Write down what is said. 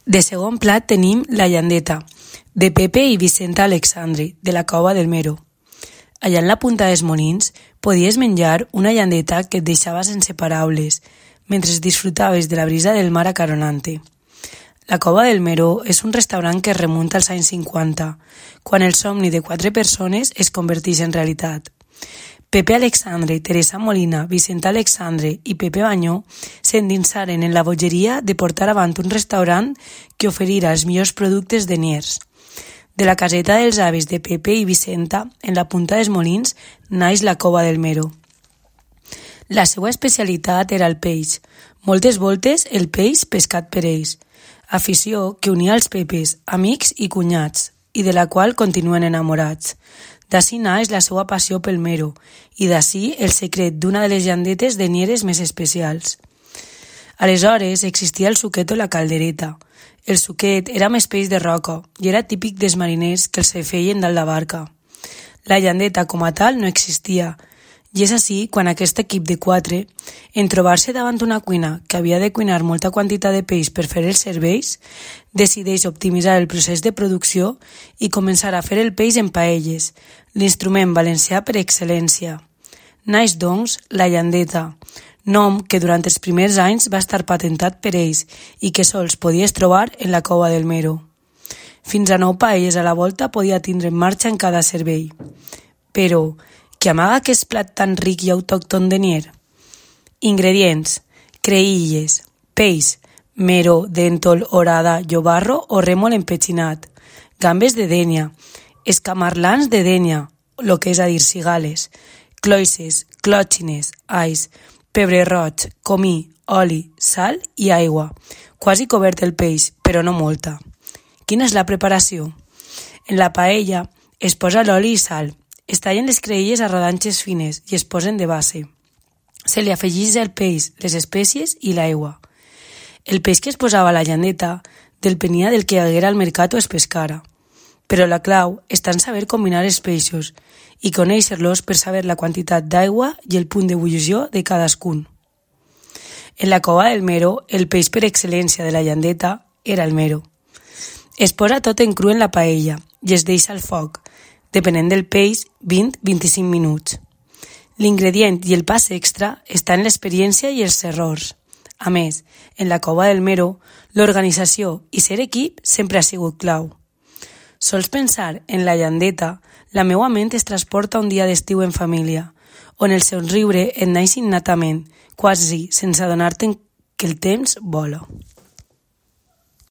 De segon plat tenim la llandeta, de Pepe i Vicenta Alexandri, de la Cova del Mero. Allà en la punta dels Molins podies menjar una llandeta que et deixava sense paraules, mentre disfrutaves de la brisa del mar acaronante. La Cova del Mero és un restaurant que es remunta als anys 50, quan el somni de 4 persones es converteix en realitat. Pepe Alexandre, Teresa Molina, Vicenta Alexandre i Pepe Banyó s'endinsaren en la bogeria de portar avant un restaurant que oferirà els millors productes de Niers. De la caseta dels avis de Pepe i Vicenta, en la punta dels Molins, naix la Cova del Mero. La seva especialitat era el peix. Moltes voltes el peix pescat per ells. Afició que unia els Pepes, amics i cunyats, i de la qual continuen enamorats. D'ací naix la seva passió pel mero, i d'ací el secret d'una de les llandetes de Nieres més especials. Aleshores existia el suquet o la caldereta. El suquet era més peix de roca i era típic dels mariners que els feien dalt la barca. La llandeta com a tal no existia, i és així quan aquest equip de 4, en trobar-se davant una cuina que havia de cuinar molta quantitat de peix per fer els serveis, decideix optimitzar el procés de producció i començar a fer el peix en paelles, l'instrument valencià per excel·lència. Naix, doncs, la llandeta, nom que durant els primers anys va estar patentat per ells i que sols podies trobar en la Cova del Mero. Fins a 9 paelles a la volta podia tindre en marxa en cada servei. Però què amaga aquest plat tan ric i autòcton de Nier? Ingredients: creïlles, peix, mero, dèntol, orada, llobarro o rèmol empetxinat, gambes de dénia, escamarlans de dénia, lo que és a dir cigales, cloïsses, clòtxines, ais, pebre roig, comí, oli, sal i aigua. Quasi cobert el peix, però no molta. Quina és la preparació? En la paella es posa l'oli i sal. Es tallen les creïlles a rodanxes fines i es posen de base. Se li afegeix el peix, les espècies i l'aigua. El peix que es posava a la llandeta depenia del que hi haguera al mercat o es pescara. Però la clau està en saber combinar els peixos i conèixer-los per saber la quantitat d'aigua i el punt d'ebullició de cadascun. En la Cova del Mero, el peix per excel·lència de la llandeta era el mero. Es posa tot en cru en la paella i es deixa al foc, depenent del peix, 20-25 minuts. L'ingredient i el pas extra està en l'experiència i els errors. A més, en la Cova del Mero, l'organització i ser equip sempre ha sigut clau. Sols pensar en la llandeta, la meua ment es transporta un dia d'estiu en família, on el somriure et naix innatament, quasi sense adonar-te'n que el temps vola.